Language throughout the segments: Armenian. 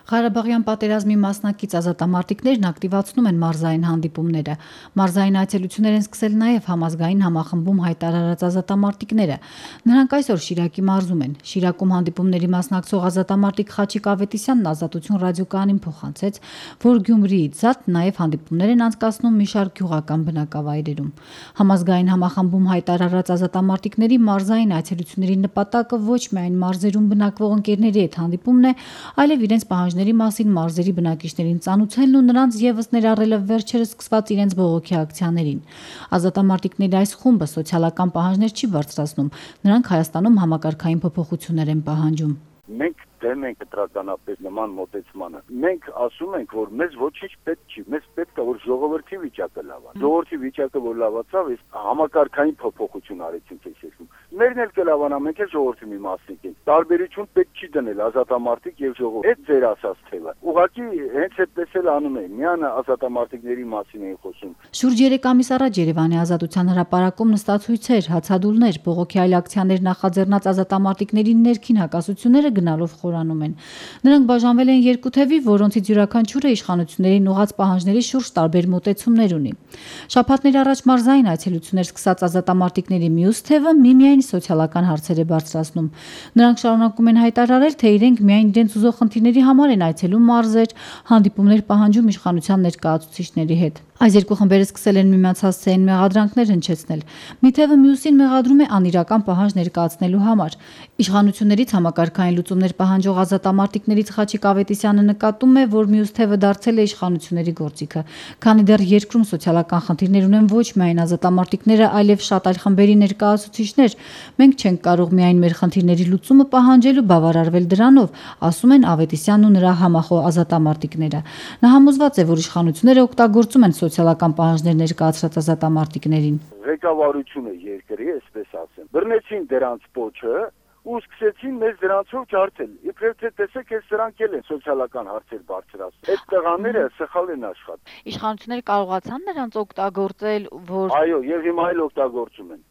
Ղարաբաղյան պատերազմի մասնակից ազատամարտիկներն ակտիվացնում են մարզային հանդիպումները։ Մարզային այցելություններ են սկսել նաև համազգային համախմբում հայտարարած ազատամարտիկները։ Նրանք այսօր Շիրակի մարզում են։ Շիրակում հանդիպումների մասնակցող ազատամարտիկ Խաչիկ Ավետիսյանն Ազատություն ռադիոկայանին փոխանցեց, որ Գյումրիից զատ նաև հանդիպումներ են անցկացնում մի շարք գյուղական բնակավայրերում։ Համազգային համախմբում հայտարարած ազատամարտիկների մարզային այցելությունների նպատակը ոչ միայն մարզերում բնակվող ընկերների հետ հանդիպումն է, այլև իրենց պահանջների մասին մարզերի բնակիչներին ծանուցելն ու նրանց ևս ներառելը վերջերս սկսված իրենց բողոքի ակցիաներին։ Ազատամարտիկների այս խումբը սոցիալական պահանջներ չի բարձրացնում, նրանք Հայաստանում համակարգային փոփոխություններ են պահանջում։ Մենք դեմ ենք դրականապես նման մոտեցմանը։ Մենք ասում ենք, որ մեզ ոչինչ պետք չի, մեզ պետք է որ ժողովրդի վիճակը լավանա։ Ժողովրդի վիճակը որ լավացավ, այս համակարգային փոփոխություն արեցինք այս երկրում։ Մերն էլ կլավանա, մենք էլ ժողովրդի մի մասնիկ ենք։ Տարբերություն պետք չի դնել ազատամարտիկ եւ ժողովուրդ։ Այդ ձեր ասած թեվը։ Ուղղակի հենց այդպես էլ անում են։ Միանը ազատամարտիկների մասին են խոսում։ Շուրջ 3 ամիս առաջ Երևանի Ազատության հրապարակում նստացույցեր, հացադուլներ, բողոքի այլ ակցիաներ նախաձեռնած ազատամարտիկների ներքին հակասությունները գնալով խորանում են։ Նրանք բաժանվել են երկու թևի, որոնցից յուրաքանչյուրը իշխանություններին ուղղած պահանջների շուրջ տարբեր մոտեցումներ ունի։ Շաբաթներ առաջ մարզային այցելություններ սկսած ազատամարտիկների մյուս թևը միմիայն սոցիալական հարցեր է բարձրացնում։ Նրանք շարունակում են հայտարարել, թե իրենք միայն իրենց ուզող խնդիրների համար են այցելում մարզեր, հանդիպումներ պահանջում իշխանության ներկայացուցիչների հետ։ Այս երկու խմբերը սկսել են միմյանց հասցեին մեղադրանքներ հնչեցնել։ Մի թևը մյուսին մեղադրում է անիրական պահանջ ներկայացնելու համար։ Իշխանություններից համակարգային լուծումներ պահանջող ազատամարտիկներից Խաչիկ Ավետիսյանը նկատում է, որ մյուս թևը դարձել է իշխանությունների գործիքը։ Քանի դեռ երկրում սոցիալական խնդիրներ ունեն ոչ միայն ազատամարտիկները, այլև շատ այլ խմբերի ներկայացուցիչներ, մենք չենք կարող միայն մեր խնդիրների լուծումը պահանջել ու բավարարվել դրանով, ասում են Ավետիսյանն ու նրա համախոհ ազատամարտիկները։ Նա համոզված է, որ իշխանությունները օգտագործում են սոցիալական պահանջներ ներկայացրած ազատամարտիկներին։ Ղեկավարությունը երկրի, այսպես ասեմ, բռնեցին դրանց պոչը ու սկսեցին մեզ դրանցով ջարդել։ Իբրև թե տեսեք, այս սրանք էլ են սոցիալական հարցեր բարձրացնում։ Այդ տղաները սխալ են աշխատում։ Իշխանությունները կարողացան նրանց օգտագործել, որ Այո, եւ հիմա էլ օգտագործում են։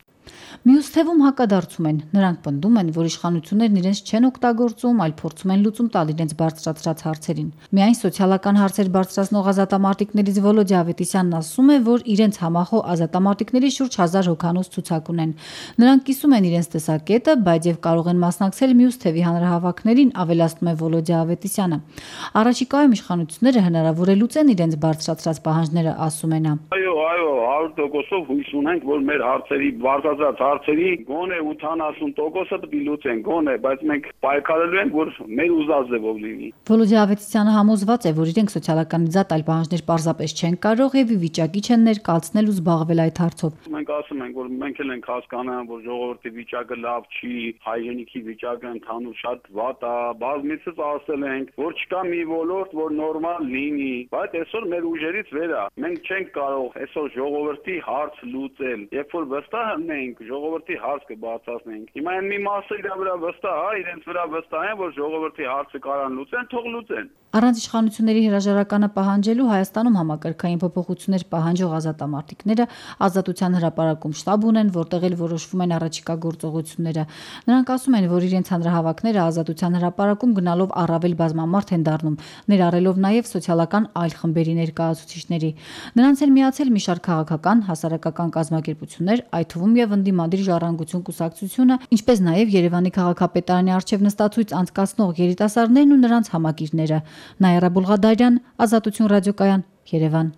Մյուս թևում հակադարձում են։ Նրանք պնդում են, որ իշխանություններն իրենց չեն օգտագործում, այլ փորձում են լուծում տալ իրենց բարձրացրած հարցերին։ Միայն սոցիալական հարցեր բարձրացնող ազատամարտիկներից Վոլոդիա Ավետիսյանն ասում է, որ իրենց համախոհ ազատամարտիկների շուրջ 1000 հոգանոց ցուցակ ունեն։ Նրանք կիսում են իրենց տեսակետը, բայց եւ կարող են մասնակցել մյուս թևի հանրահավաքներին, ավելացնում է Վոլոդիա Ավետիսյանը։ Առաջիկայում իշխանությունները հնարավոր է լուծեն իրենց բարձրացրած պահանջները, ասում է նա։ Այո, 100%-ով հույս ունենք, որ մեր հարցերի բարձրացած հարցերի գոնե 80%-ը պիտի լուծեն, գոնե, բայց մենք պայքարելու ենք, որ մեր ուզած ձևով լինի։ Վոլոդիա Ավետիսյանը համոզված է, որ իրենք սոցիալական զատ այլ պահանջներ պարզապես չեն կարող եւ ի վիճակի չեն ներկայացնել ու զբաղվել այդ հարցով։ Մենք ասում ենք, որ մենք էլ ենք հասկանում, որ ժողովրդի վիճակը լավ չի, հայրենիքի վիճակը ընդհանուր շատ վատ է, բազմիցս ասել ենք, որ չկա մի ոլորտ, որ նորմալ լինի, բայց այսօր մեր ուժերից վեր է։ Մենք չենք կարող այսօր ժողովրդի հարց լուծել։ Երբ որ վստահ ենք, ժողովրդի հարց կբարձրացնենք։ Հիմա այն մի մասը իր վրա վստահ է, իրենց վրա վստահ են, որ ժողովրդի հարցը կարան լուծեն, թող լուծեն։ Առանց իշխանությունների հրաժարականը պահանջելու Հայաստանում համակարգային փոփոխություններ պահանջող ազատամարտիկները Ազատության հրապարակում շտաբ ունեն, որտեղ էլ որոշվում են առաջիկա գործողությունները։ Նրանք ասում են, որ իրենց հանրահավաքները Ազատության հրապարակում գնալով առավել բազմամարդ են դառնում, ներառելով նաև սոցիալական այլ խմբերի ներկայացուցիչների։ Նրանց են միացել մի շարք քաղաքական, հասարակական կազմակերպություններ, այդ թվում եւ ընդդիմադիր ժառանգություն կուսակցությունը, ինչպես նաև Երևանի քաղաքապետարանի առջև նստածույց անցկացնող երիտասարդներն ու նրանց համակիրները։ Նայրա Բուլղադարյան, Ազատություն ռադիոկայան, Երևան։